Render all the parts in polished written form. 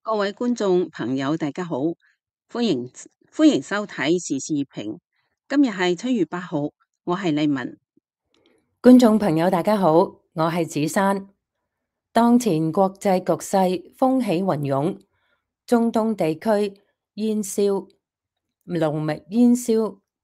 各位觀眾朋友，大家好，歡迎收睇時事評。今日係7月8號，我係麗文。觀眾朋友，大家好，我係子珊。當前國際局勢風起雲湧，中東地區煙硝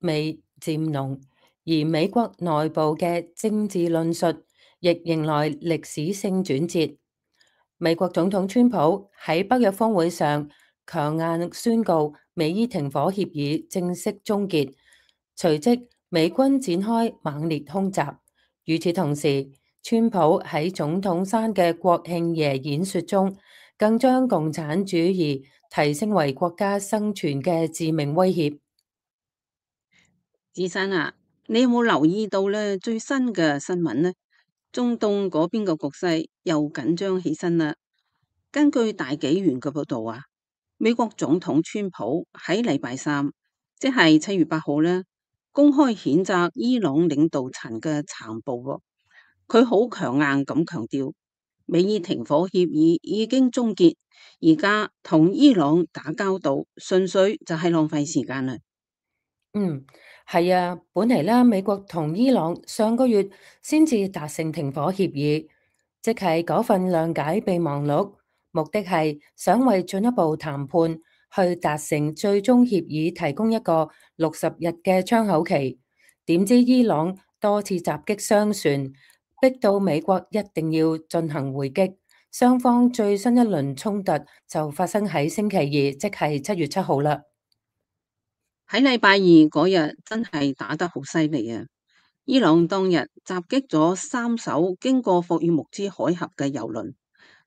味漸濃，而美國內部嘅政治論述亦迎來歷史性轉折。美國總統川普喺北約峰會上強硬宣告美伊停火協議正式終結，隨即美軍展開猛烈空襲。與此同時，川普喺總統山嘅國慶夜演說中，更將共產主義提升為國家生存嘅致命威脅。子珊啊，你有冇留意到咧最新嘅新聞呢？中東嗰邊嘅局勢又緊張起身啦。根據大紀元嘅報道啊，美國總統川普喺禮拜三，即係7月8號咧，公開譴責伊朗領導層嘅殘暴喎。佢好強硬咁強調，美伊停火協議已經終結，而家同伊朗打交道，純粹就係浪費時間啦。係啊，本嚟啦，美國同伊朗上個月先至達成停火協議，即係嗰份諒解備忘錄，目的係想為進一步談判去達成最終協議提供一個60日嘅窗口期。點知伊朗多次襲擊商船，逼到美國一定要進行回擊，雙方最新一輪衝突就發生喺星期二，即係7月7號啦。喺禮拜二嗰日真係打得好犀利啊！伊朗當日襲擊咗3艘經過霍爾木茲海峽嘅油輪，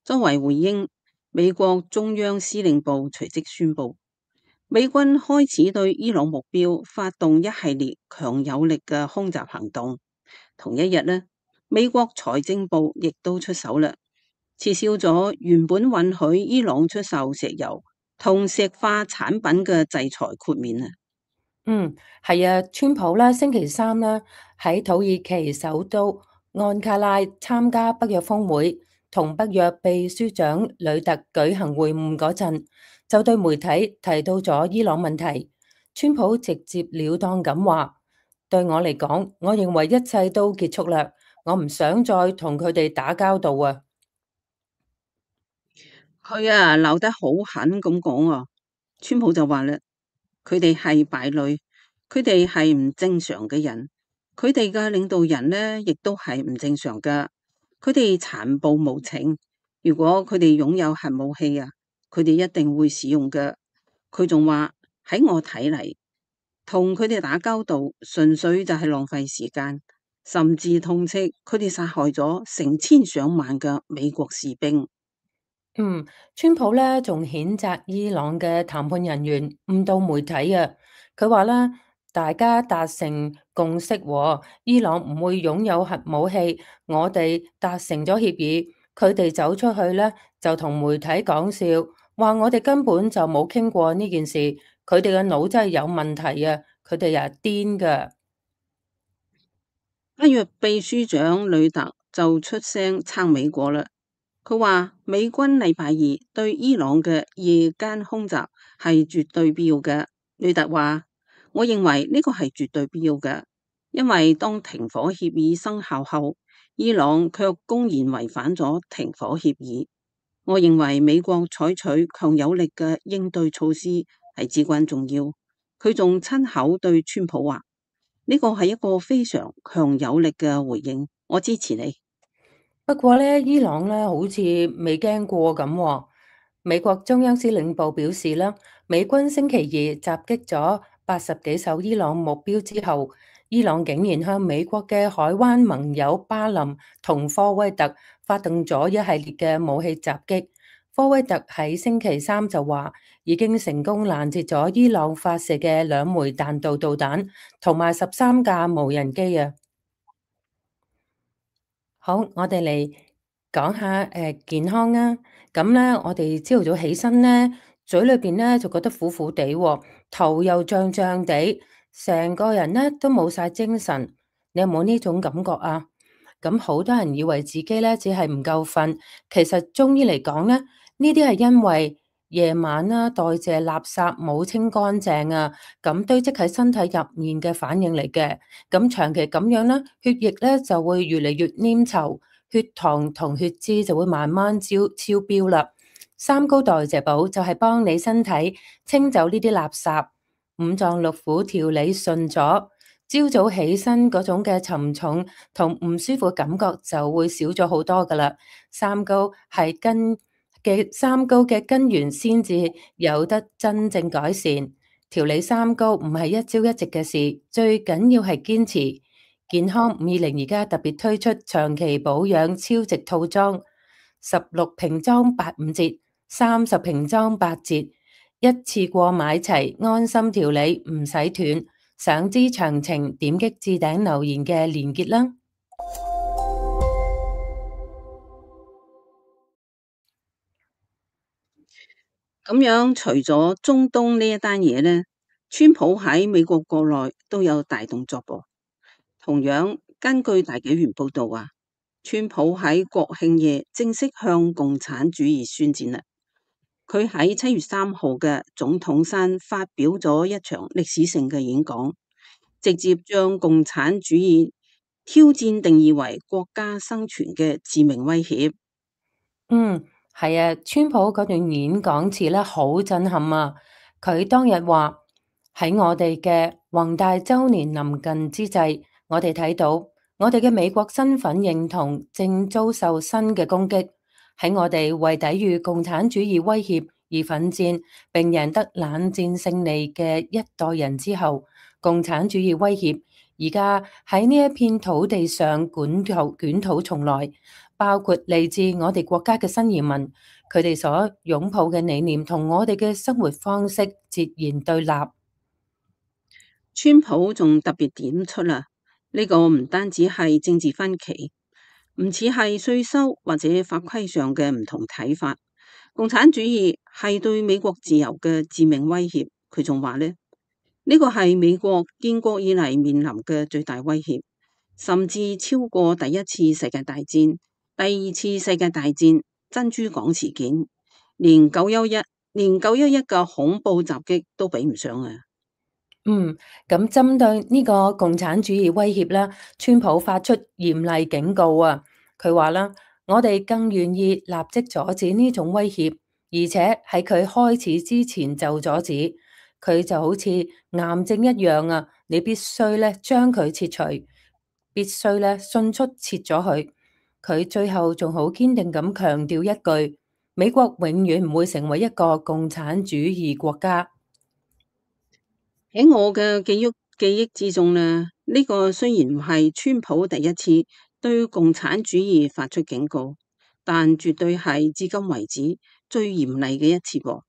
作為回應，美國中央司令部隨即宣布，美軍開始對伊朗目標發動一系列強有力嘅空襲行動。同一日呢，美國財政部亦都出手啦，撤銷咗原本允許伊朗出售石油同石化產品嘅制裁豁免啊！係啊，川普啦，星期三啦喺土耳其首都安卡拉參加北約峰會，同北約秘書長呂特舉行會晤嗰陣，就對媒體提到咗伊朗問題。川普直接了當咁話：對我嚟講，我認為一切都結束啦，我唔想再同佢哋打交道啊！佢啊鬧得好狠咁講啊，川普就話啦，佢哋係敗類，佢哋係唔正常嘅人，佢哋嘅領導人呢亦都係唔正常噶，佢哋殘暴無情，如果佢哋擁有核武器啊，佢哋一定會使用噶。佢仲話喺我睇嚟，同佢哋打交道純粹就係浪費時間，甚至痛斥佢哋殺害咗成千上萬嘅美國士兵。川普咧仲譴責伊朗嘅談判人員誤導媒體啊！佢話咧，大家達成共識喎，伊朗唔會擁有核武器，我哋達成咗協議，佢哋走出去咧就同媒體講笑，話我哋根本就冇傾過呢件事，佢哋嘅腦真係有問題啊！佢哋又係癲㗎。北約秘書長呂特就出聲撐美國啦。佢話美軍禮拜二對伊朗嘅夜間空襲係絕對必要嘅。呂特話：我認為呢個係絕對必要嘅，因為當停火協議生效後，伊朗卻公然違反咗停火協議。我認為美國採取強有力嘅應對措施係至關重要。佢仲親口對川普話：呢個係一個非常強有力嘅回應，我支持你。不過咧，伊朗咧好似未驚過咁喎。美國中央司令部表示啦，美軍星期二襲擊咗80幾艘伊朗目標之後，伊朗竟然向美國嘅海灣盟友巴林同科威特發動咗一系列嘅武器襲擊。科威特喺星期三就話已經成功攔截咗伊朗發射嘅2枚彈道導彈同埋13架無人機啊！好，我哋嚟講下健康啊。咁咧，我哋朝頭早起身咧，嘴裏邊咧就覺得苦苦地喎，頭又脹脹地，成個人咧都冇晒精神。你有冇呢種感覺啊？咁好多人以為自己咧只係唔夠瞓，其實中醫嚟講咧，呢啲係因為夜晚啦代謝垃圾冇清乾淨啊，咁堆積喺身體入面嘅反應嚟嘅。咁長期咁樣咧，血液咧就會越嚟越黏稠，血糖同血脂就會慢慢超標啦。三高代謝寶就係幫你身體清走呢啲垃圾，五臟六腑調理順咗，朝早起身嗰種嘅沉重同唔舒服嘅感覺就會少咗好多噶啦。三高嘅根源先至有得真正改善。調理三高唔係一朝一夕嘅事，最緊要係堅持。健康520而家特別推出長期保養超值套裝，16瓶裝85折，30瓶裝8折，一次過買齊，安心調理唔使斷。想知詳情，點擊置頂留言嘅連結啦。咁樣除咗中東呢一單嘢呢，川普喺美國國內都有大動作噃。同樣，根據大紀元報道啊，川普喺國慶夜正式向共產主義宣戰啦。佢喺7月3號嘅總統山發表咗一場歷史性嘅演講，直接將共產主義挑戰定義為國家生存嘅致命威脅。係啊，川普嗰段演講詞咧好震撼啊！佢當日話喺我哋嘅宏大週年臨近之際，我哋睇到我哋嘅美國身份認同正遭受新嘅攻擊。喺我哋為抵禦共產主義威脅而奮戰並贏得冷戰勝利嘅一代人之後，共產主義威脅而家喺呢一片土地上捲土重來。包括嚟自我哋國家嘅新移民，佢哋所擁抱嘅理念同我哋嘅生活方式截然對立。川普仲特別點出啦，呢個唔單止係政治分歧，唔似係稅收或者法規上嘅唔同睇法，共產主義係對美國自由嘅致命威脅。佢仲話呢，呢個係美國建國以嚟面臨嘅最大威脅，甚至超過第一次世界大戰、第二次世界大戰、珍珠港事件，連911嘅恐怖襲擊都比唔上啊！咁針對呢個共產主義威脅啦，川普發出嚴厲警告啊！佢話啦，我哋更願意立即阻止呢種威脅，而且喺佢開始之前就阻止。佢就好似癌症一樣啊！你必須咧將佢切除，必須咧迅速切咗佢。佢最後仲好堅定咁強調一句：美國永遠唔會成為一個共產主義國家。喺我嘅記憶之中呢，呢個雖然唔係川普第一次對共產主義發出警告，但絕對係至今為止最嚴厲嘅一次噃，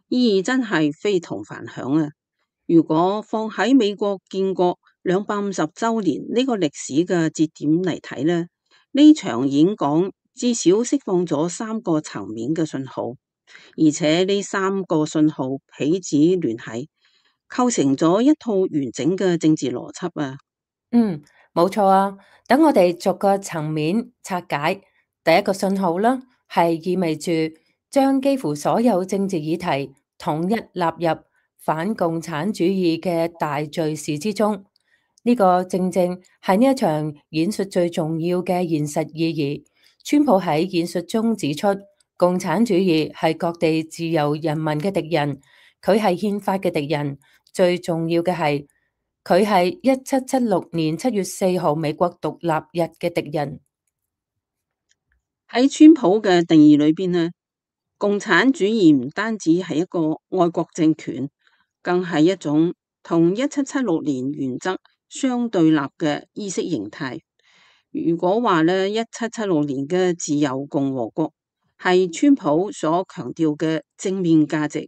意義真係非同凡響啊！如果放喺美國建國250週年呢個歷史嘅節點嚟睇呢，呢場演講至少釋放咗3個層面嘅信號，而且呢3個信號彼此聯繫，構成咗一套完整嘅政治邏輯啊！冇錯啊。等我哋逐個層面拆解。第一個信號啦，係意味住將幾乎所有政治議題統一納入反共產主義嘅大敘事之中。呢個正正係呢一場演說最重要嘅現實意義。川普喺演說中指出，共產主義係各地自由人民嘅敵人，佢係憲法嘅敵人。最重要嘅係，佢係1776年7月4號美國獨立日嘅敵人。喺川普嘅定義裏邊呢，共產主義唔單止係一個愛國政權，更係一種同1776年原則相對立嘅意識形態。如果話呢，1776年嘅自由共和國係川普所強調嘅正面價值，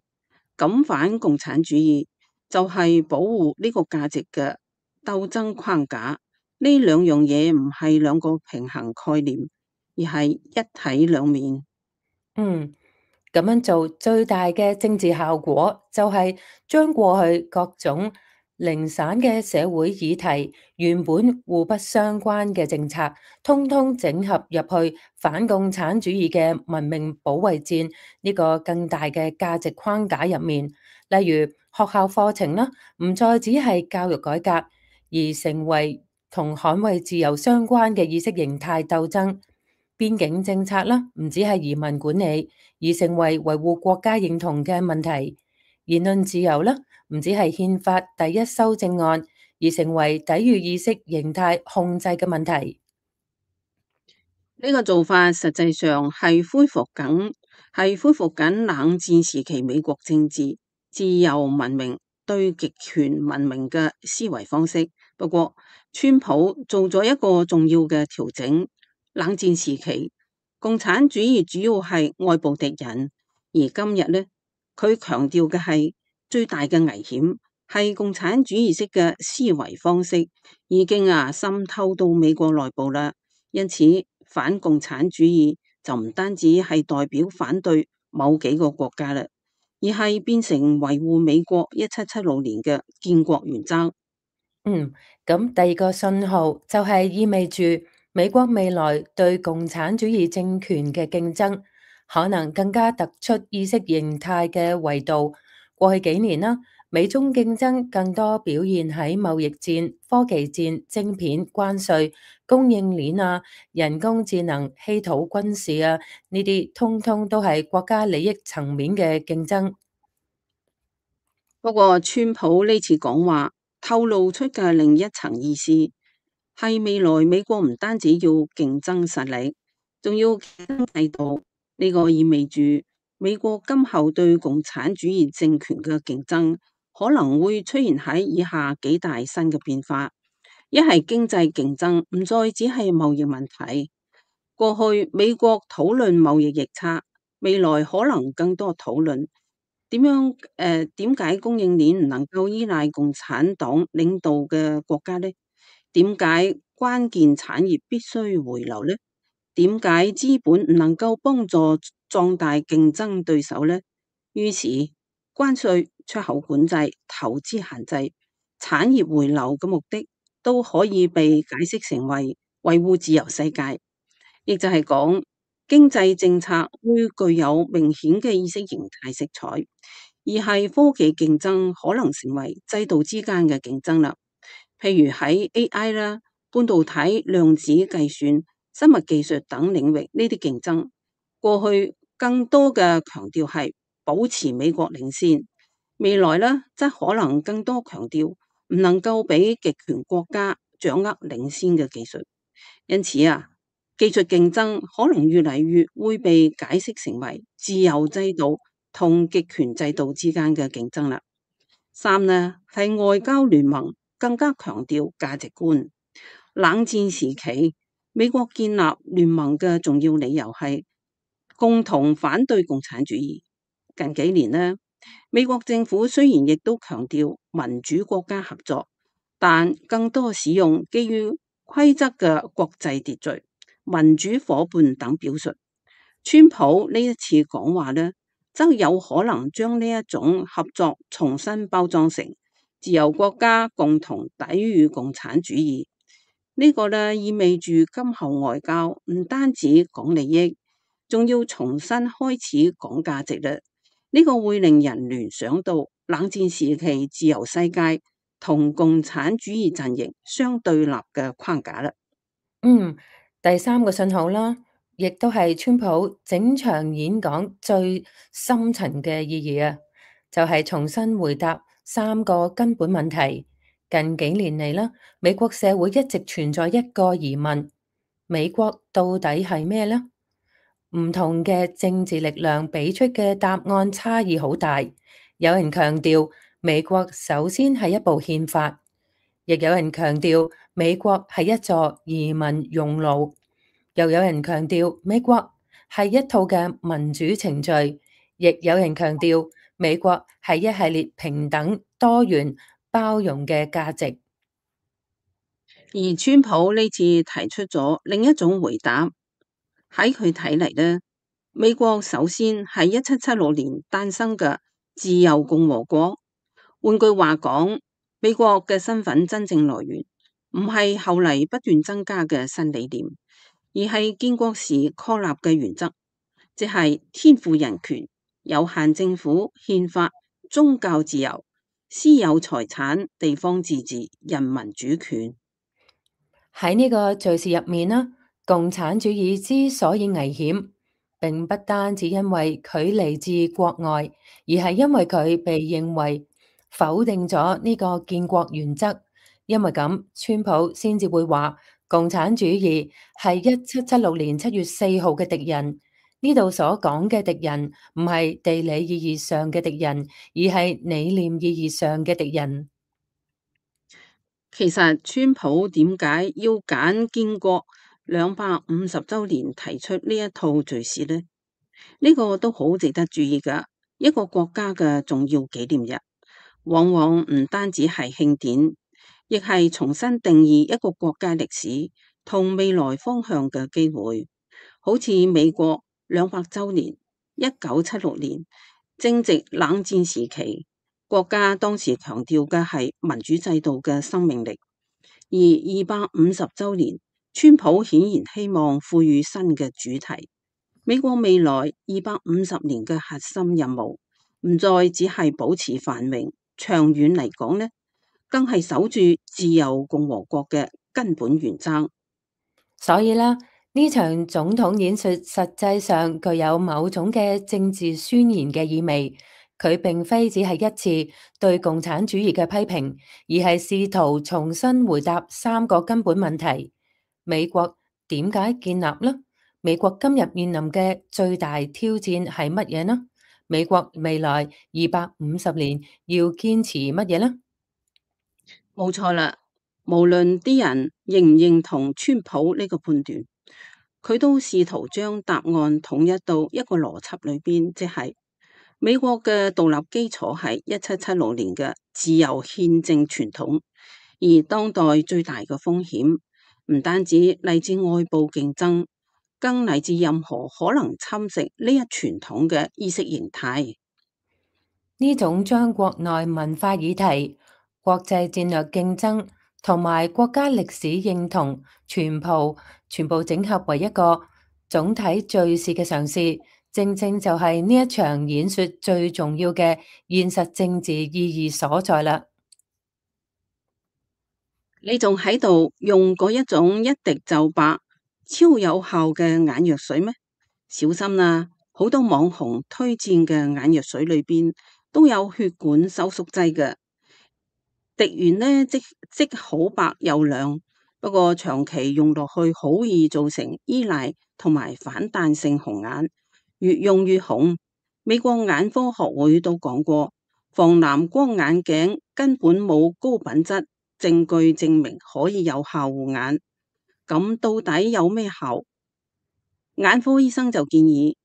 咁反共產主義就係保護呢個價值嘅鬥爭框架。呢兩樣嘢唔係兩個平衡概念，而係一體兩面。咁樣做最大嘅政治效果就係將過去各種零散嘅社會議題，原本互不相關嘅政策，通通整合入去反共產主義嘅文明保衛戰呢個更大嘅價值框架入面。例如學校課程啦，唔再只係教育改革，而成為同捍衛自由相關嘅意識形態鬥爭。邊境政策啦，唔止係移民管理，而成為維護國家認同嘅問題。言論自由啦，唔止係憲法第一修正案，而成為抵禦意識形態控制嘅問題。呢個做法實際上係恢復緊冷戰時期美國政治自由文明對極權文明嘅思維方式。不過，川普做咗一個重要嘅調整。冷戰時期，共產主義主要係外部敵人，而今日呢，佢強調嘅係最大嘅危險係共產主義式嘅思維方式已經滲透到美國內部啦。因此，反共產主義就唔單止係代表反對某幾個國家啦，而係變成維護美國1776年嘅建國原則。咁第二個信號就係意味住美國未來對共產主義政權嘅競爭，可能更加突出意識形態嘅維度。過去幾年啦，美中競爭更多表現喺貿易戰、科技戰、晶片、關稅、供應鏈人工智能、稀土、軍事呢啲通通都係國家利益層面嘅競爭。不過，川普呢次講話透露出嘅另一層意思，係未來美國唔單止要競爭實力，仲要競爭制度。呢個意味住美國今後對共產主義政權嘅競爭，可能會出現喺以下幾大新嘅變化：一係經濟競爭唔再只係貿易問題，過去美國討論貿易逆差，未來可能更多討論點解供應鏈唔能夠依賴共產黨領導嘅國家呢？點解關鍵產業必須回流呢？點解資本唔能夠幫助壯大競爭對手呢？於是關稅、出口管制、投資限制、產業回流嘅目的，都可以被解釋成為維護自由世界，亦就係講經濟政策會具有明顯嘅意識形態色彩，而係科技競爭可能成為制度之間嘅競爭啦。譬如喺 AI 啦、半導體、量子計算、生物技術等領域呢啲競爭，過去更多嘅強調係保持美國領先，未來呢則可能更多強調唔能夠俾極權國家掌握領先嘅技術。因此技術競爭可能越嚟越會被解釋成為自由制度同極權制度之間嘅競爭啦。三呢係外交聯盟更加強調價值觀。冷戰時期，美國建立聯盟嘅重要理由係共同反對共產主義。近幾年呢，美國政府雖然亦都強調民主國家合作，但更多使用基於規則嘅國際秩序、民主夥伴等表述。川普呢一次講話呢，則有可能將呢一種合作重新包裝成自由國家共同抵禦共產主義。呢個呢意味住今後外交唔單止講利益，仲要重新開始講價值啦。呢個會令人聯想到冷戰時期自由世界同共產主義陣營相對立嘅框架啦。第三個信號啦，亦都係川普整場演講最深層嘅意義就係重新回答三個根本問題。近幾年嚟啦，美國社會一直存在一個疑問：美國到底係咩呢？唔同嘅政治力量俾出嘅答案差異好大。有人強調美國首先係一部憲法，亦有人強調美國係一座移民熔爐，又有人強調美國係一套嘅民主程序，亦有人強調美國係一系列平等、多元、包容嘅價值。而川普呢次提出咗另一種回答，喺佢睇嚟呢，美國首先係1776年誕生嘅自由共和國。換句話講，美國嘅身份真正來源唔係後嚟不斷增加嘅新理念，而係建國時確立嘅原則，即係天賦人權、有限政府、憲法、宗教自由、私有財產、地方自治、人民主權。喺呢個敘事入面啦，共產主義之所以危險，並不單止因為佢嚟自國外，而係因為佢被認為否定咗呢個建國原則。因為咁，川普先至會話共產主義係1776年7月4號嘅敵人。呢度所講嘅敵人唔係地理意義上嘅敵人，而係理念意義上嘅敵人。其實川普點解要揀建國250周年提出呢一套敘事呢？呢個都好值得注意㗎。一個國家嘅重要紀念日，往往唔單止係慶典，亦係重新定義一個國家歷史同未來方向嘅機會。好似美國200周年，1976年正值冷戰時期。國家當時強調嘅係民主制度嘅生命力，而250周年，川普顯然希望賦予新嘅主題。美國未來250年嘅核心任務，唔再只係保持繁榮，長遠嚟講呢，更係守住自由共和國嘅根本原則。所以啦，呢場總統演說實際上具有某種嘅政治宣言嘅意味。佢並非只係一次對共產主義嘅批評，而係試圖重新回答3個根本問題：美國點解建立呢？美國今日面臨嘅最大挑戰係乜嘢呢？美國未來250年要堅持乜嘢呢？冇錯啦，無論啲人認唔認同川普呢個判斷，佢都試圖將答案統一到一個邏輯裏邊，即係美國嘅獨立基礎係1776年嘅自由憲政傳統，而當代最大嘅風險唔單止嚟自外部競爭，更嚟自任何可能侵蝕呢一傳統嘅意識形態。呢種將國內文化議題、國際戰略競爭同埋國家歷史認同全部整合為一個總體敘事嘅嘗試，正正就係呢一場演說最重要嘅現實政治意義所在啦。你仲喺度用嗰一種一滴就白、超有效嘅眼藥水咩？小心啦！好多網紅推薦嘅眼藥水裏邊都有血管收縮劑嘅，滴完呢即好白又亮，不過長期用落去好易造成依賴同埋反彈性紅眼，越用越紅。美國眼科學會都講過，防藍光眼鏡根本冇高品質證據證明可以有效護眼。咁到底有咩效？眼科醫生就建議，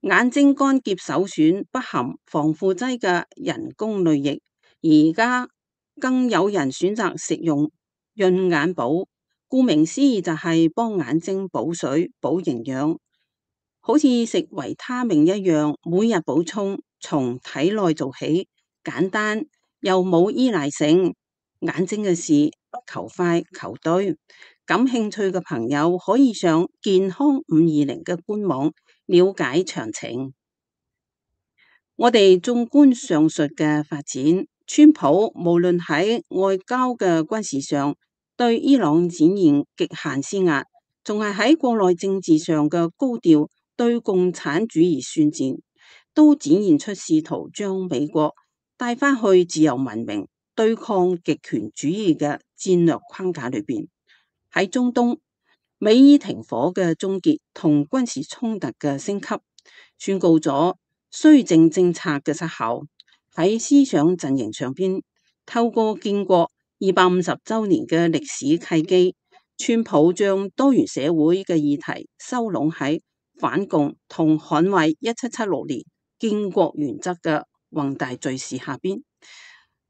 眼睛乾澀首選不含防腐劑嘅人工淚液，而家更有人選擇食用潤眼寶，顧名思義就係幫眼睛補水補營養，好似食維他命一樣，每日補充，從體內做起，簡單又冇依賴性。眼睛嘅事不求快求對，感興趣嘅朋友可以上健康520嘅官網了解詳情。我哋縱觀上述嘅發展，川普無論喺外交嘅軍事上對伊朗展現極限施壓，仲係喺國內政治上嘅高調對共產主義宣戰，都展現出試圖將美國帶返去自由文明對抗極權主義嘅戰略框架裏邊。喺中東，美伊停火嘅終結同軍事衝突嘅升級，宣告咗綏靖政策嘅失效。喺思想陣營上邊，透過建國250周年嘅歷史契機，川普將多元社會嘅議題收攏喺反共同捍衛1776年建國原則嘅宏大敘事下邊。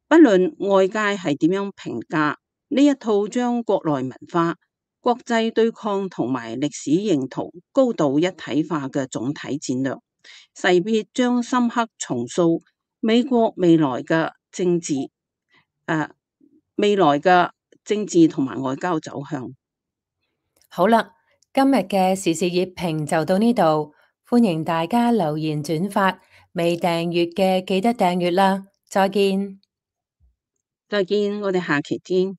不論外界係點樣評價呢一套將國內文化、國際對抗同埋歷史認同高度一體化嘅總體戰略，勢必將深刻重塑美國未來嘅政治、未來嘅政治同埋外交走向。好啦，今日嘅時事熱評就到呢度，歡迎大家留言轉發，未訂閱嘅記得訂閱啦，再見。再見，我哋下期見。